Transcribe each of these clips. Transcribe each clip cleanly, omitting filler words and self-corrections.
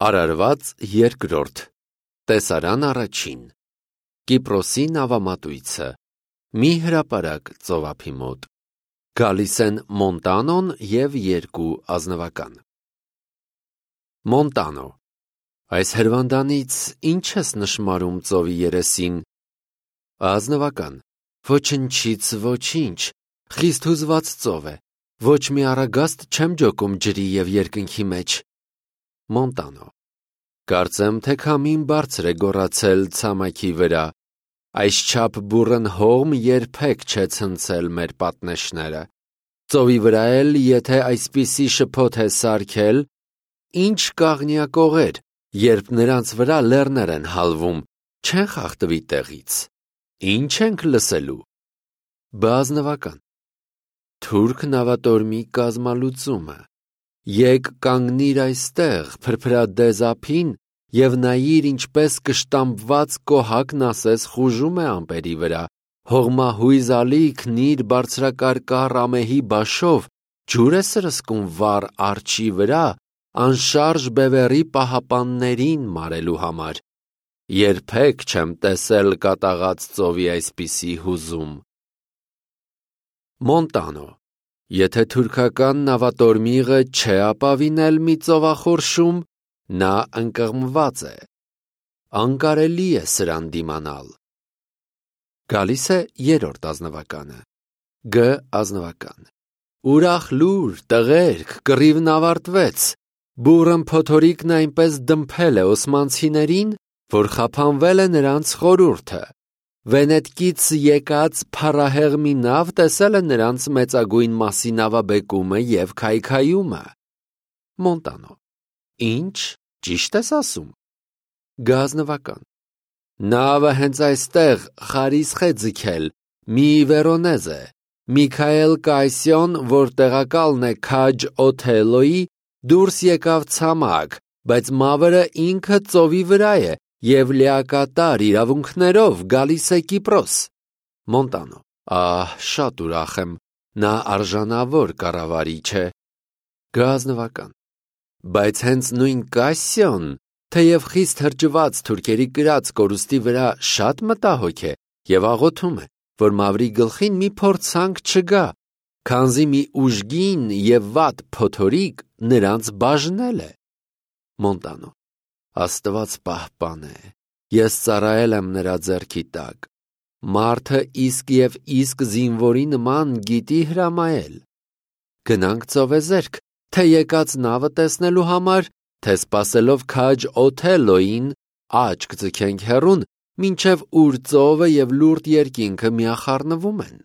Արարված երկրորդ Տեսարան առաջին Կիպրոսի նավամատույցը Մի հրապարակ ծովափի մոտ Գալիս են Մոնտանոն և երկու ազնվական Մոնտանո Այս հրվանդանից ինչ ես նշմարում ծովի երեսին Ազնվական Ոչնչից ոչինչ Խիստ հուզված ծով է Ոչ մի առագաստ չեմ ջոկում ջրի և երկնքի մեջ Մոնտանո Կարծեմ թե քամին բարձր է գոռացել ցամաքի վրա Այսչափ բուռն հողմ երբեք չէ ցնցել մեր պատնեշները Ծովի վրա էլ եթե այսպիսի շփոթ է սարքել Ինչ կաղնյակողեր Երբ նրանց վրա լեռներ են հալվում Չեն խախտվի տեղից Ինչ ենք լսելու Բազնվական Թուրք նավատորմի կազմալուծումը Եկ կանգնիր այստեղ փրփրադեզ ափին և նայիր ինչպես կշտամբված կոհակն ասես խուժում է ամպերի վրա Հողմահույզ ալիքն իր բարձրակարկառ ամեհի բաշով ջուր է սրսկում վառ արջի վրա անշարժ բևեռի պահապաններին մարելու համար Երբեք չեմ տեսել կատաղած ծովի այսպիսի հուզում Մոնտանո Եթե թուրքական նավատորմիղը չէ ապավինել մի ծովախորշում, նա ընկղմված է, անկարելի է սրան դիմանալ։ Գալիս է երրորդ ազնվականը, Գ ազնվական, ուրախ լուր, տղերք, կռիվն ավարտվեց, բուռն փոթորիկն այնպես դմփել է օսմանցիներին, որ խափանվել է նրանց խորհուրդը։ Վենետկից եկած փառահեղ մի նավ տեսել է նրանց մեծագույն մասի նավաբեկումը և քայքայումը։ Մոնտանո Ինչ, ճիշտ ես ասում։ Գազնվական Նավը հենց այստեղ խարիսխ է ձգել, մի Վերոնեզ է, Միքայել Կայսյոն, որ տեղակալն է քաջ Օթելոյի, դուրս եկավ ցամաք, բայց մավրը ինքը ծովի վրա է և լիակատար իրավունքներով գալիս է Կիպրոս։ Մոնտանո Ահ, շատ ուրախ եմ, նա արժանավոր կառավարիչ է։ Գազնվական Բայց հենց նույն Կասիոն, թեև խիստ հրճված թուրքերի կրած կորուստի վրա շատ մտահոգ է և աղոթում է, որ մավրի գլխին մի փորձանք չգա, քանզի մի ուժգին և վատ փոթորիկ նրանց բաժնել է։ Մոնտանո Աստված պահպան է, ես ծառայել եմ նրա ձեռքի տակ, մարդը իսկ և իսկ զինվորի նման գիտի հրամայել։ Գնանք ծովեզերք, թե եկած նավը տեսնելու համար, թե սպասելով քաջ Օթելոյին, աչք ձգենք հեռուն, մինչև ուր ծովը և լուրջ երկինքը միախառնվում են։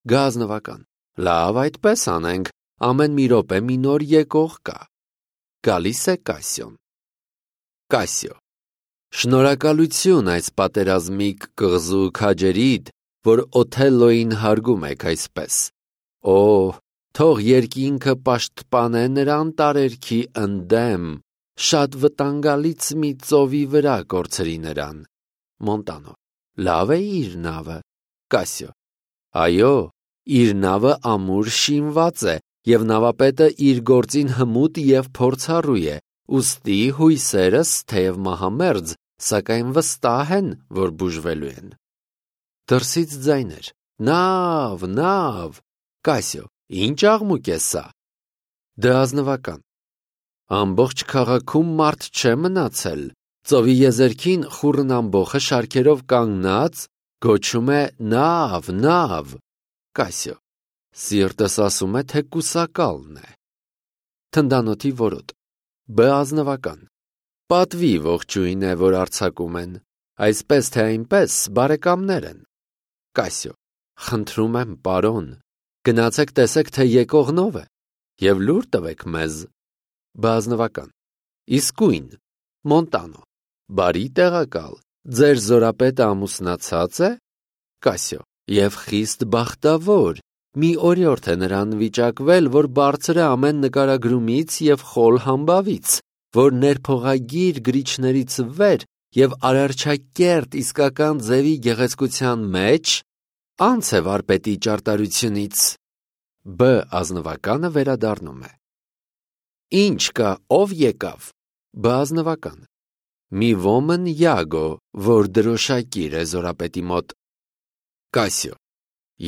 Գազնվական Լավ այդպես անենք, ամեն մի րոպե մի նոր եկող կա։ Գալիս է Կասիոն Կասիո Շնորհակալություն այս պատերազմիկ կղզու քաջերիդ, որ Օթելոյին հարգում եք այսպես։ Օ, թող երկինքը պաշտպանե նրան տարերքի ընդդեմ, շատ վտանգալից մի ծովի վրա կորցրի նրան։ Մոնտանո Լավ է իր նավը։ Կասիո Այո, իր նավը ամուր շինված է, և նավապետը իր գործին հմուտ և փորձառու է, ուստի հույսերս, թեև մահամերձ, սակայն վստահ են, որ բուժվելու են։ Դրսից ձայներ. Նավ, նավ, Կասիո, ինչ աղմուկ է սա։ Դազնվական Ամբողջ քաղաքում մարդ չէ մնացել, ծովի եզերքին խուռն ամբոխը շարքերով կանգնած, գոչում է նավ, նավ, Կասիո, սիրտս ասում է, թե կուսակալն է։ Թնդանոթի որոտ Բազնվական Պատվի ողջույն է, որ արձակում են, այսպես թե այնպես բարեկամներ են։ Կասիո Խնդրում եմ, պարոն, գնացեք տեսեք, թե եկողնով է, և լուր տվեք մեզ։ Բազնվական Իսկույն Մոնտանո Բարի տեղակալ, ձեր զորապետը ամուսնացած է։ Կասիո Եվ խիստ բախտավոր, մի օրիորդ է նրան վիճակվել, որ բարձր է ամեն նկարագրումից և խոլ համբավից, որ ներփողագիր գրիչներից վեր և արարչակերտ իսկական ձևի գեղեցկության մեջ անց է վարպետի ճարտարությունից։ Բ ազնվականը վերադառնում է։ Ինչ կա, ով եկավ։ Բազնվական. մի ոմն Յագո, որ դրոշակիր է զորապետի մոտ։ Կասյո.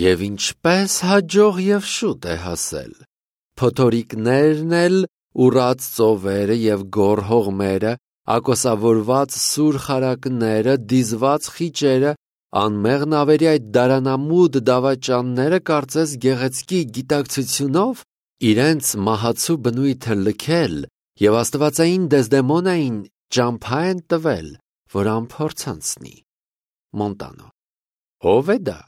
և ինչպես հաջող և շուտ է հասել։ Փոթորիկներն էլ, ուռած ծովերը և գոր հողմերը, ակոսավորված սուր խարակները, դիզված խիճերը, անմեղ նավերի այդ դարանամուտ դավաճանները կարծես գեղեցկի գիտակցությունով իրենց մահացու բնույթը լքել և աստվածային Դեզդեմոնային ճամփա են տվել, որ անփորձ անցնի։ Մոնտանո. ով է դա։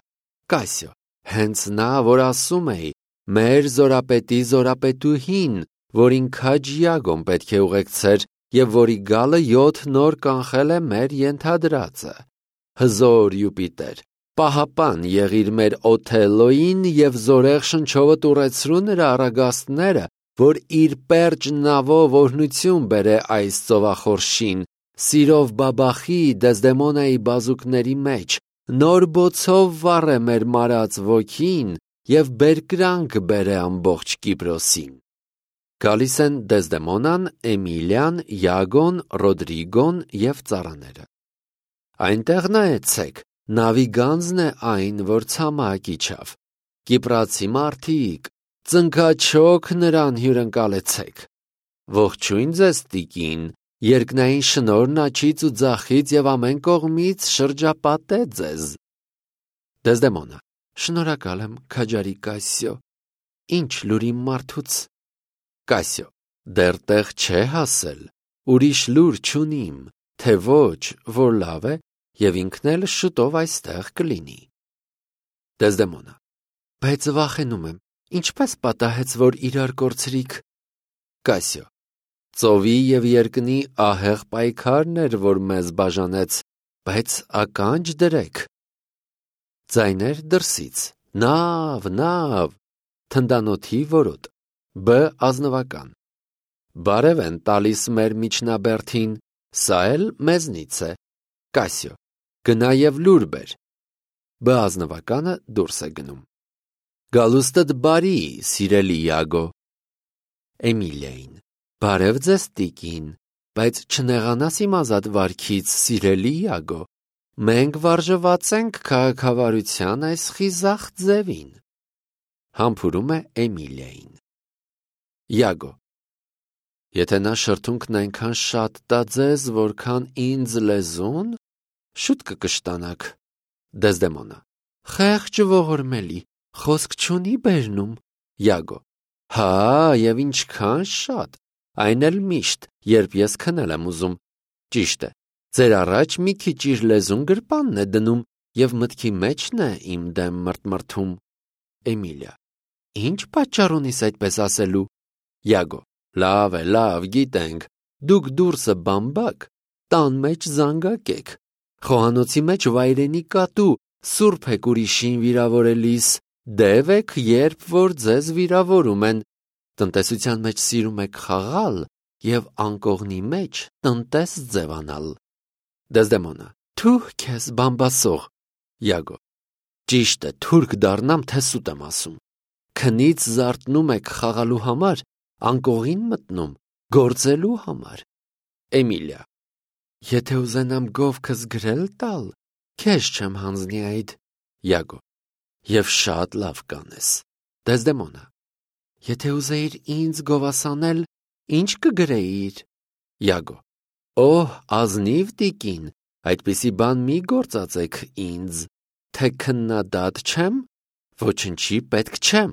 Կասյո. հենց նա, որ ասում էի, մեր զորապետի զորապետուհին, որին քաջ Յագոն պետք է ուղեկցեր և որի գալը 7 նոր կանխել է մեր ենթադրածը։ Հզոր Յուպիտեր, պահապան եղիր մեր Օթելլոյին և զորեղ շնչովը տուրեցրու նրա առագաստները, որ իր պերճ նավով օրհնություն բերե այս ծովախորշին, սիրով բաբախի Դեզդեմոնայի բազուկների մեջ, նոր բոցով վառե մեր մարած ոգին և բերկրանք բերե ամբողջ Կիպրոսին։ Գալիս են Դեզդեմոնան, Էմիլիան, Յագոն, Ռոդրիգոն և ծառաները։ Այնտեղ նայեցեք, նավի գանձն է այն, որ ցամաք իջավ։ Կիպրացի մարդիկ, ծնկաչոք նրան հյուրընկալեցեք։ Ողջույն ձեզ, տիկին, երկնային շնորհն աջից ու ձախից և ամեն կողմից շրջապատե ձեզ։ Դեզդեմոնա. շնորհակալ եմ, քաջարի Կասյո։ Ինչ լուր իմ մարդուց։ Կասյո. դեռ տեղ չէ հասել, ուրիշ լուր չունիմ, թե ոչ, որ լավ է, և ինքն էլ շուտով այստեղ կլինի։ Դեզդեմոնա. բայց վախենում եմ, ինչպես պատահեց, որ իրար կորցրիք։ Կասյո. ծովի և երկնի ահեղ պայքարն էր, որ մեզ բաժանեց, բայց ականջ դրեք։ Ձայներ դրսից. նավ, նավ, թնդանոթի որոտ, բ ազնվական։ Բարև են տալիս մեր միջնաբերդին, սա էլ մեզնից է։ Կասյո. գնա և լուր բեր։ Բ ազնվականը դուրս է գնում։ Գալուստդ բարի, սիրելի Յագո։ Էմիլիային. բարև ձեզ, տիկին, բայց չնեղանաս իմ ազատ վարքից, սիրելի Յագո։ Մենք վարժված ենք քաղաքավարության այս խիզախ ձևին։ Համբուրում է Էմիլիային։ Յագո. եթե նա շրթունքն այնքան շատ տա ձեզ, որքան ինձ լեզուն, շուտ կկշտանաք։ Դեզդեմոնա. խեղճ ողորմելի, խոսք չունի բերնում։ Յագո. հա, և ինչքան շատ, այն էլ միշտ, երբ ես քնել եմ ուզում։ Ճիշտ է, ձեր առաջ մի քիչ իր լեզուն գրպանն է դնում և մտքի մեջն է իմ դեմ մրթմրթում։ Էմիլիա. ինչ պատճառ ունիս այդպես ասելու։ Յագո. լավ է, լավ, գիտենք, դուք դուրսը բամբակ, տան մեջ զանգակ եք, խոհանոցի մեջ վայրենի կատու, սուրբ եք ուրիշին վիրավորելիս, դև եք, երբ որ ձեզ վիրավորում են, տնտեսության մեջ սիրում եք խաղալ և անկողնի մեջ տնտես ձևանալ։ Դեզդեմոնա. թուh քեզ բամբասող։ Յագո. ճիշտ է, թուրք դառնամ, թե սուտ եմ ասում։ Քնից զարթնում եք խաղալու համար, անկողին մտնում, գործելու համար։ Էմիլիա. եթե ուզենամ գովքս գրել տալ, քեզ չեմ հանձնի այդ։ Յագո. և շատ լավ կանես։ Դեզդեմոնա. եթե ուզեիր ինձ գովասանել, ինչ կգրեիր։ Յագո. օհ, ազնիվ տիկին, այդպիսի բան մի գործածեք ինձ, թե քննադատ չեմ, ոչնչի պետք չեմ։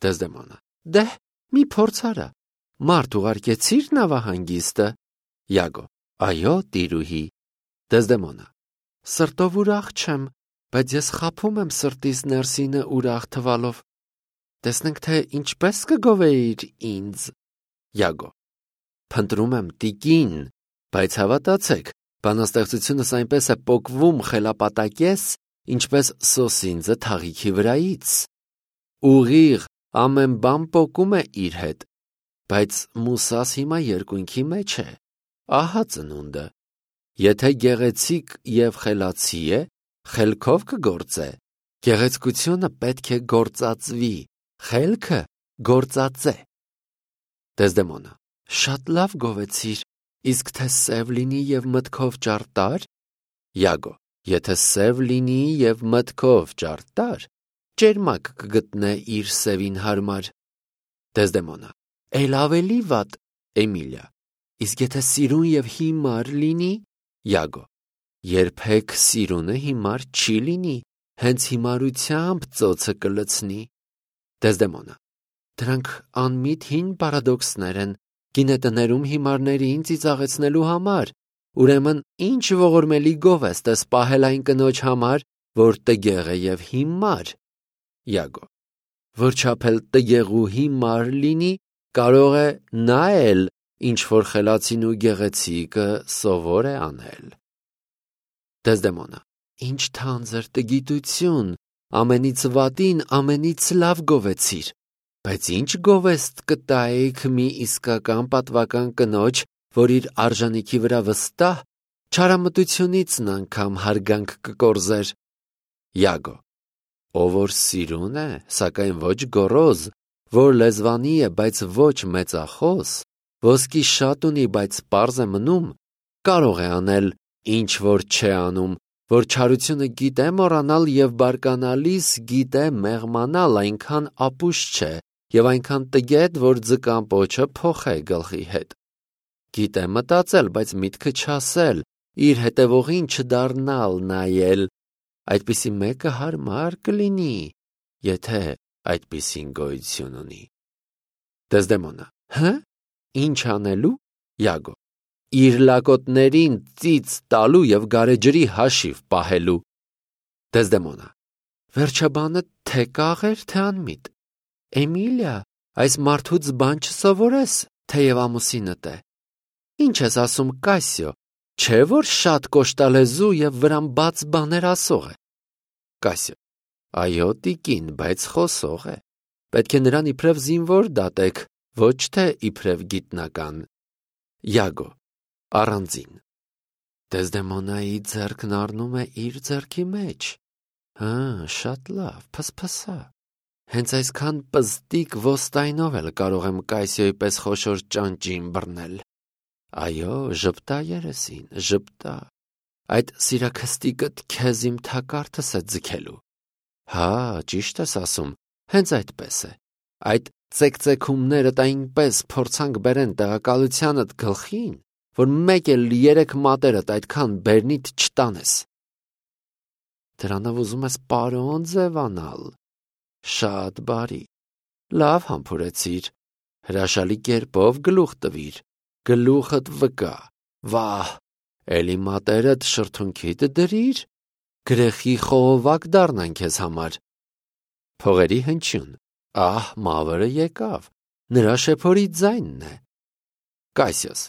Դեզդեմոնա. դեհ, մի փորձ արա, մարդ ուղարկեցիր նավահանգիստը։ Յագո. այո, տիրուհի։ Դեզդեմոնա. սրտով ուրախ չեմ, բայց ես խաբում եմ սրտիս ներսինը ուրախ թվալով։ Տեսնենք, թե ինչպես կգովեիր ինձ։ Յագո. փնտրում եմ տիկին, բայց հավատացեք, բանաստեղծությունս այնպես է պոկվում խելապատակես, ինչպես սոսինձը թաղիքի վրայից։ Ուղիղ, ամեն բան պոկում է իր հետ, բայց Մուսաս հիմա երկունքի մեջ է, ահա ծնունդը։ Եթե գեղեցիկ և խելացի է, խելքով կգործե։ Գեղեցկությունը պետք է գործածվի, խելքը գործածե։ Դեզդեմոնա. շատ լավ գովեցիր, Իսկ թե սև լինի և մտքով ճարտար։ Յագո. Եթե սև լինի և մտքով ճարտար, ճերմակ կգտնե իր սևին հարմար։ Դեզդեմոնա. Էլ ավելի վատ։ Էմիլիա. Իսկ եթե սիրուն և հիմար լինի։ Յագո. Երբեք սիրունը հիմար չի լինի, հենց հիմարությամբ ծոցը կլցնի։ Դեզդեմոնա. Դրանք անմիտ հին պարադոքսներ են, գինետներում հիմարներին ծիծաղեցնելու համար, ուրեմն ինչ ողորմելի գովեստ ես պահել այն կնոջ համար, որ տգեղ է և հիմար։ Յագո. Որչափ էլ տգեղ ու հիմար լինի, կարող է նա էլ ինչ-որ խելացին ու գեղեցիկը սովոր է անել։ Դեզդեմոնա. Ինչ թանձր տգիտություն, ամենից վատին ամենից լավ գովեցիր, բայց ինչ գովեստ կտայիք մի իսկական պատվական կնոջ, որ իր արժանիքի վրա վստահ, չարամտությունիցն անգամ հարգանք կկորզեր։ Յագո. Ով որ սիրուն է, սակայն ոչ գոռոզ, որ լեզվանի է, բայց ոչ մեծախոս, ոսկի շատ ունի, բայց պարզ է մնում, կարող է անել, ինչ որ չէ անում, որ չարությունը գիտե մոռանալ և բարկանալիս գիտե մեղմանալ, այնքան ապուշ չէ և այնքան տգետ, որ ձկան պոչը փոխե գլխի հետ։ Գիտե մտածել, բայց միտքը չասել, իր հետևողին չդառնալ նայել, այդպիսի մեկը հարմար կլինի, եթե այդպիսին գոյություն ունի։ Դեզդեմոնա. Հը՞, ինչ անելու։ Յագո. Իր լակոտներին ծիծ տալու և գարեջրի հաշիվ պահելու։ Դեզդեմոնա. Վերջաբանը թե կաղեր, թե անմիտ։ Էմիլիա, այս մարդուց բան չսովորես, թեև ամուսինդ է։ Ինչ ես ասում, Կասիո, չէ՞ որ շատ կոշտալեզու և վրան բաց բաներ ասող է։ Կասիո. Այո, տիկին, բայց խոսող է։ Պետք է նրան իբրև զինվոր դատեք, ոչ թե իբրև գիտնական։ Յագո. Առանձին։ Դեզդեմոնայի ձեռքն առնում է իր ձեռքի մեջ։ Հա, շատ լավ, փսփսա։ Հենց այսքան պզտիկ ոստայնով էլ կարող եմ Կասիոյի պես խոշոր ճանճին բռնել։ Այո, ժպտա երեսին, ժպտա։ Այդ սիրաքստիկդ քեզ իմ թակարդս է ձգելու։ Հա, ճիշտ ես ասում, հենց այդպես է։ Այդ ծեկծեքումներդ այնպես փորձանք բերեն տեղակալությանդ գլխին, որ մեկ էլ 3 մատերդ այդքան բերնիդ չտանես։ Դրանով ուզում ես պարոն ձևանալ։ Շատ բարի։ Լավ համբուրեցիր, հրաշալի կերպով գլուխ տվիր, գլուխդ վկա, վահ, էլի մատերդ շրթունքիդ դրիր, գրեխի խողովակ դառնան քեզ համար։ Փողերի հնչյուն, ահ, մավրը եկավ, նրա շեփորի ձայնն է։ Կասիոս,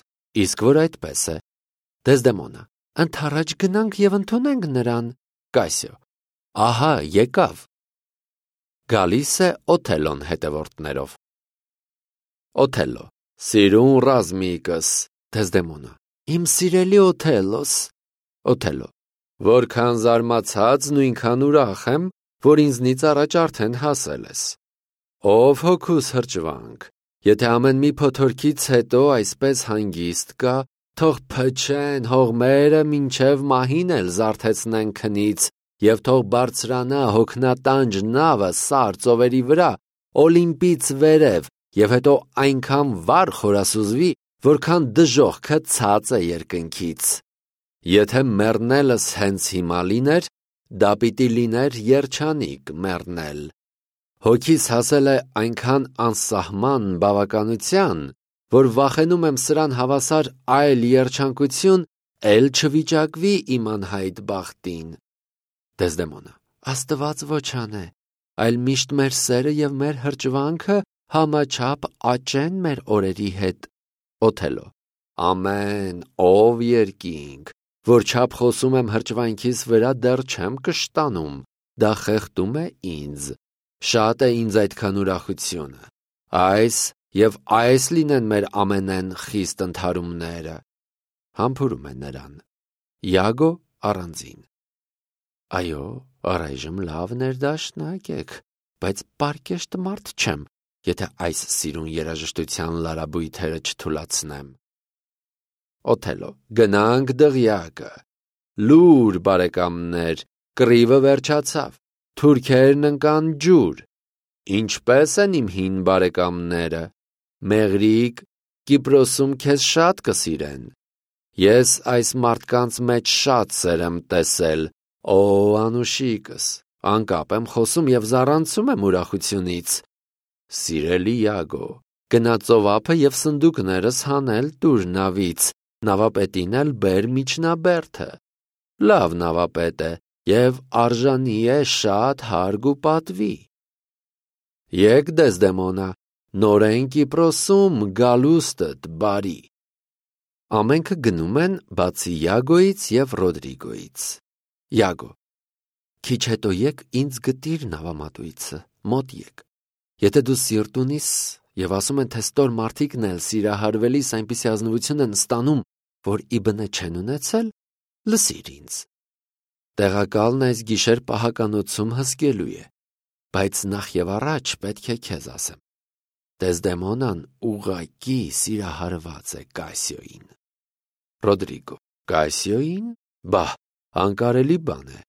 իսկ որ այդպես է։ Դեզդեմոնա, ընդառաջ գնանք և ընդունենք նրան։ Կասիո, ահա եկավ։ Գալիս է Օթելոն հետևորդներով։ Օթելլո. Սիրուն ռազմիկս։ Դեզդեմոնա. Իմ սիրելի Օթելլոս։ Օթելլո. Որքան զարմացած, նույնքան ուրախ եմ, որ ինձնից առաջ արդեն հասել ես։ Ով հոգուս հրճվանք, եթե ամեն մի փոթորկից հետո այսպես հանգիստ կա, թող փչեն հողմերը մինչև մահին էլ զարթեցնեն քնից, և թող բարձրանա հոգնատանջ նավը սար ծովերի վրա, Օլիմպից վերև, և հետո այնքան վառ խորասուզվի, որքան դժոխքը ցած է երկնքից։ Եթե մեռնելս հենց հիմա լիներ, դա պիտի լիներ երջանիկ մեռնել։ Հոգիս հասել է այնքան անսահման բավականության, որ վախենում եմ սրան հավասար այլ երջանկություն էլ չվիճակվի իմ անհայտ բախտին։ Դեզդեմոնա. Աստված ոչ անե, այլ միշտ մեր սերը և մեր հրճվանքը համաչափ աճեն մեր օրերի հետ։ Օթելլո. Ամեն, ով երկինք, որչափ խոսում եմ հրճվանքիս վրա դեռ չեմ կշտանում, դա խեղդում է ինձ, շատ է ինձ այդքան ուրախությունը, այս և այս լինեն մեր ամենեն խիստ ընդհարումները։ Համբուրում է նրան։ Յագո առանձին. Այո, առայժմ լավ ներդաշնակ եք, բայց պարկեշտ մարդ չեմ, եթե այս սիրուն երաժշտության լարաբույթերը չթուլացնեմ։ Օթելո. Գնանք դղյակը։ Լուր, բարեկամներ, կռիվը վերջացավ, թուրքերն ընկան ջուր։ Ինչպե՞ս են իմ հին բարեկամները, մեղրիկ, Կիպրոսում քեզ շատ կսիրեն։ Ես այս մարդկանց մեջ շատ սեր եմ տեսել, օ անուշիկս, անկապ եմ խոսում և զառանցում եմ ուրախությունից։ Սիրելի Յագո, գնա ծովափը և սնդուկներս հանել տուր նավից, նավապետին էլ բեր միջնաբերդը։ Լավ նավապետ է և արժանի է շատ հարգ ու պատվի։ Եկ Դեսդեմոնա, նորեն Կիպրոսում գալուստդ բարի։ Ամենքը գնում են բացի Յագոյից և Ռոդրիգոյից։ Յագո. Քիչ հետո եկ ինձ գտիր նավամատույցը, մոտ եկ։ Եթե դու սիրտ ունիս և ասում են, թե ստոր մարդիկն էլ սիրահարվելիս այնպիսի ազնվություն են ստանում, որ իբնե չեն ունեցել, լսիր ինձ։ Տեղակալն այս գիշեր պահականոցում հսկելու է, բայց նախ և առաջ պետք է քեզ ասեմ։ Դեսդեմոնան ուղղակի սիրահարված է Կասիոյին։ Ռոդրիգո. Կասիոյին? Բահ, անկարելի բան է։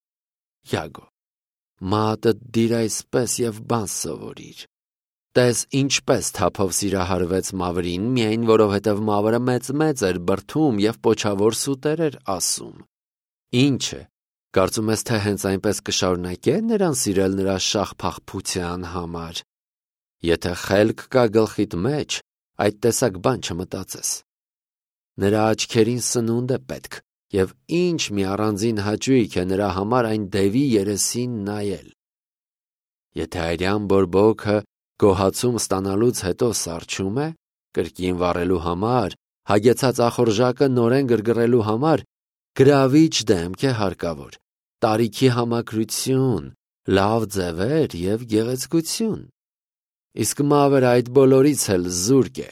Յագո. Մատդ դիր այսպես և բան սովորիր։ Տես ինչպես թափով սիրահարվեց Մավրին, միայն որովհետև Մավրը մեծ էր բրդում և պոչավոր սուտեր էր ասում։ Ինչ է, կարծում ես, թե հենց այնպես կշարունակե նրան սիրել նրա շաղփաղփության համար։ Եթե խելք կա գլխիդ մեջ, այդ տեսակ բան չմտածես։ Նրա աչքերին սնունդ է պետք, և ինչ մի առանձին հաճույք է նրա համար այն դևի երեսին նայել։ Եթե այրյան բորբոքը գոհացում ստանալուց հետո սառչում է, կրկին վառելու համար, հագեցած ախորժակը նորեն գրգռելու համար, գրավիչ դեմք է հարկավոր, տարիքի համակրություն, լավ ձևեր և գեղեցկություն։ Իսկ Մավրը այդ բոլորից էլ զուրկ է։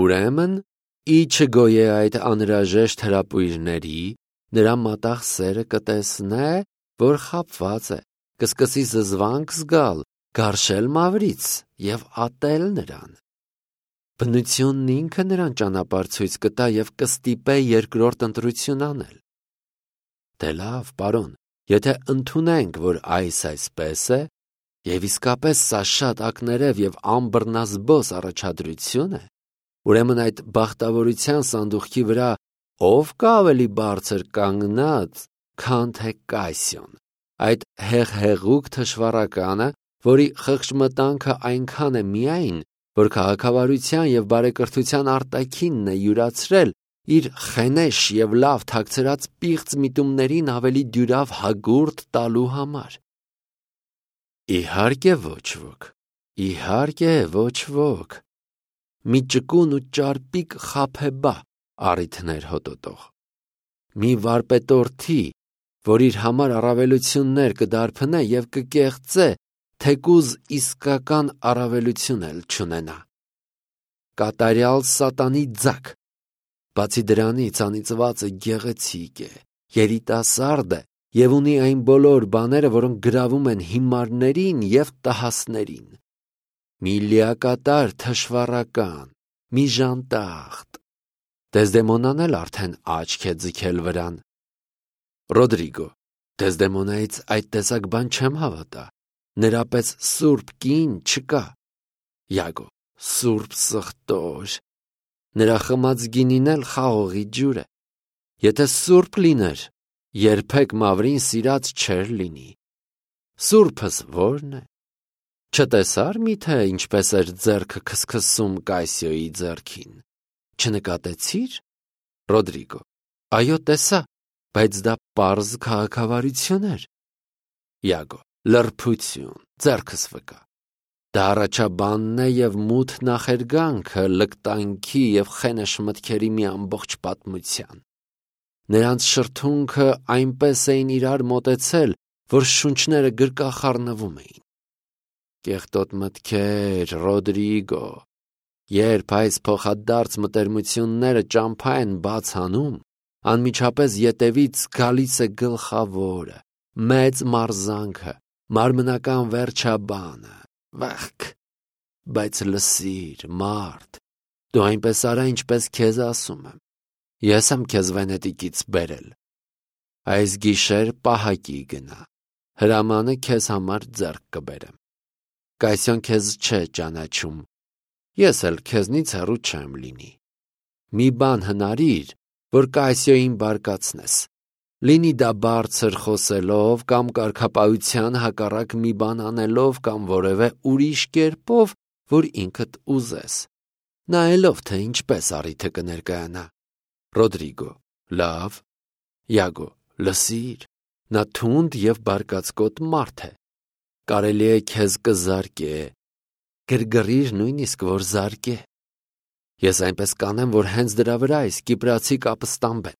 Ուրեմն, ի չգոյե այդ անհրաժեշտ հրապույրների, նրա մատաղ սերը կտեսնե, որ խաբված է, կսկսի զզվանք զգալ, գարշել Մավրից և ատել նրան։ Բնությունն ինքը նրան ճանապարհ ցույց կտա և կստիպե երկրորդ ընտրություն անել։ Դե լավ, պարոն, եթե ընդունենք, որ այսպես է, և իսկապես սա շատ ակներև և անբռնազբոս առաջադրություն է, ուրեմն այդ բախտավորության սանդուղքի վրա ով կա ավելի բարձր կանգնած, քան թե Կասիոն, այդ հեղհեղուկ թշվառականը, որի խղճմտանքը այնքան է միայն, որ քաղաքավարության և բարեկրթության արտաքինն է յուրացրել իր խենեշ և լավ թաքցրած պիղծ միտումներին ավելի դյուրավ հագուրդ տալու համար։ Իհարկե ոչ ոք, մի ճկուն ու ճարպիկ խաբեբա առիթներ հոտոտող, մի վարպետորդի, որ իր համար առավելություններ կդարբնե և կկեղծե, թեկուզ իսկական առավելություն էլ չունենա։ Կատարյալ սատանի ձագ։ Բացի դրանից անիծվածը գեղեցիկ է, երիտասարդ է և ունի այն բոլոր բաները, որոնք գրավում են հիմարներին և տհասներին։ Մի լիակատար թշվառական, մի ժանտախտ։ Դեսդեմոնան էլ արդեն աչք է ձգել վրան։ Ռոդրիգո. Դեսդեմոնայից այդ տեսակ բան չեմ հավատա։ Նրա պես սուրբ կին չկա։ Յագո. Սուրբ սխտոր։ Նրա խմած գինին էլ խաղողի ջուր է։ Եթե սուրբ լիներ, երբեք Մավրին սիրած չէր լինի։ Սուրբս ո՞րն է։ Չտեսա՞ր միթե ինչպես էր ձեռքը քսքսում Կասիոյի ձեռքին։ Չնկատեցի՞ր։ Ռոդրիգո. Այո, տեսա, բայց դա պարզ քաղաքավարություն էր։ Յագո. Լրբություն, ձեռքս վկա։ Դա առաջաբանն է և մութ նախերգանքը լկտանքի և խենեշ մտքերի մի ամբողջ պատմության։ Նրանց շրթունքը այնպես էին իրար մոտեցել, որ շունչները գրկախառնվում էին։ Կեղտոտ մտքեր, Ռոդրիգո, երբ այս փոխադարձ մտերմությունները ճամփա են բաց անում, անմիջապես ետևից գալիս է գլխավորը, մեծ մարզանքը, մարմնական վերջաբանը, վախք։ Բայց լսիր, մարդ, դու այնպես արա, ինչպես քեզ ասում եմ։ Ես եմ քեզ Վենետիկից բերել։ Այս գիշեր պահակի գնա, հրամանը քեզ համար ձեռք կբերեմ։ Կայսյոն քեզ չէ ճանաչում, ես էլ քեզնից հեռու չեմ լինի։ Մի բան հնարիր, որ Կայսյոյին բարկացնես, լինի դա բարձր խոսելով կամ կարգապահության հակառակ մի բան անելով կամ որևէ ուրիշ կերպով, որ ինքդ ուզես, նայելով թե ինչպես առիթը կներկայանա։ Ռոդրիգո, լավ։ Յագո, լսիր, նա թունդ և բարկացկոտ մարդ է, կարելի է քեզ կզարկե, գրգռիր նույնիսկ որ զարկե։ Ես այնպես կանեմ, որ հենց դրա վրա այս կիպրացի կապը ստամբեն,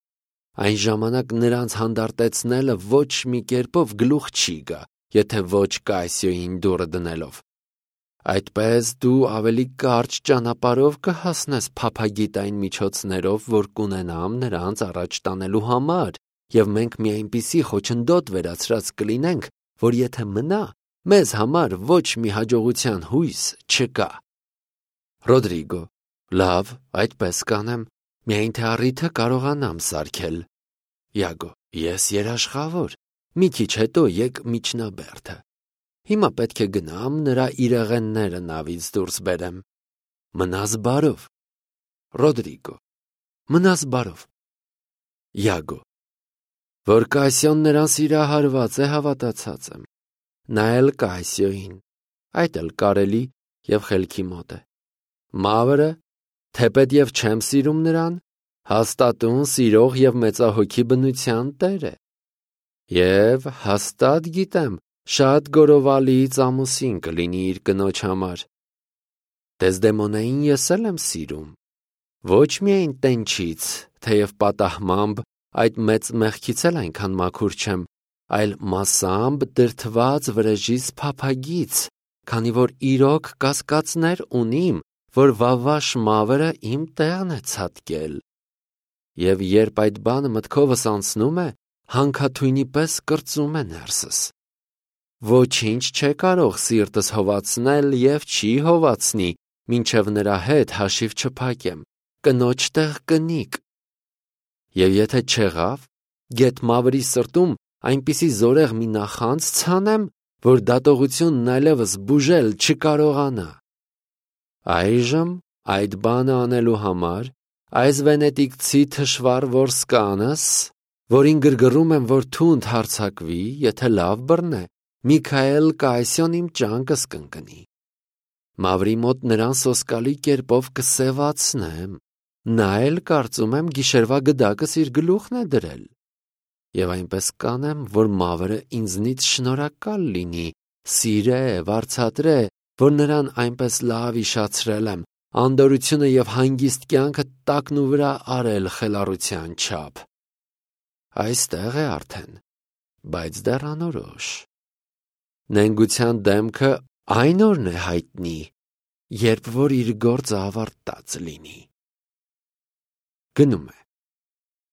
այն ժամանակ նրանց հանդարտեցնելը ոչ մի կերպով գլուխ չի գա, եթե ոչ Կայսյոյին դուռը դնելով։ Այդպես դու ավելի կարճ ճանապարհով կհասնես փափագիտ այն միջոցներով, որ կունենամ նրանց առաջ տանելու համար, և մենք մի այնպիսի խոչընդոտ վերացրած կլինենք, որ եթե մնա, մեզ համար ոչ մի հաջողության հույս չկա։ Ռոդրիգո, լավ, այդպես կանեմ, միայն թե առիթը կարողանամ սարքել։ Յագո, ես երաշխավոր, մի քիչ հետո եկ միջնաբերդը։ Հիմա պետք է գնամ նրա իրեղենները նավից դուրս բերեմ։ Մնաս բարով։ Ռոդրիգո, մնաս բարով։ Յագո, որ Կայսյոն նրան սիրահարված է, հավատացած եմ, նա էլ Կայսյոյին, այդ էլ կարելի և խելքի մոտ է։ Մավրը, թեպետև չեմ սիրում նրան, հաստատուն սիրող և մեծահոգի բնության տեր է։ Եվ հաստատ գիտեմ, շատ գորովալից ամուսին կլինի իր կնոջ համար։ Դեզդեմոնային ես էլ եմ սիրում, ոչ միայն տենչից, թեև պատահմամբ այդ մեծ մեղքից էլ այնքան մաքուր չեմ, այլ մասամբ դրդված վրեժից փափագից, քանի որ իրոք կասկածներ ունիմ, որ վավաշ մավրը իմ տեղն է ցատկել։ Եվ երբ այդ բանը մտքովս անցնում է, հանքաթույնի պես կրծում է ներսս։ Ոչինչ չէ կարող սիրտս հովացնել և չի հովացնի, մինչև նրա հետ հաշիվ չփակեմ, կնոջ տեղ կնիկ։ Եվ եթե չեղավ, գեթ մավրի սրտում այնպիսի զորեղ մի նախանձ ցանեմ, որ դատողությունն այլևս բուժել չկարողանա։ Այժմ այդ բանը անելու համար այս վենետիկցի թշվառ որսկանս, որին գրգռում եմ, որ թունդ հարձակվի, եթե լավ բռնե, Միքայել Կայսյոն իմ ճանկս կընկնի։ Մավրի մոտ նրան սոսկալի կերպով կսևացնեմ, նա էլ կարծում եմ գիշերվա գդակս իր գլուխն է դրել։ Եվ այնպես կանեմ, որ մավրը ինձնից շնորհակալ լինի, սիրե, վարձատրե, որ նրան այնպես լավ իշացրել եմ, անդորությունը և հանգիստ կյանքը տակնու վրա արել խելառության չափ։ Այստեղ է արդեն, բայց դեռ անորոշ։ Նենգության դեմքը այն օրն է հայտնի, երբ որ իր գործը ավարտած լինի։ Գնում է։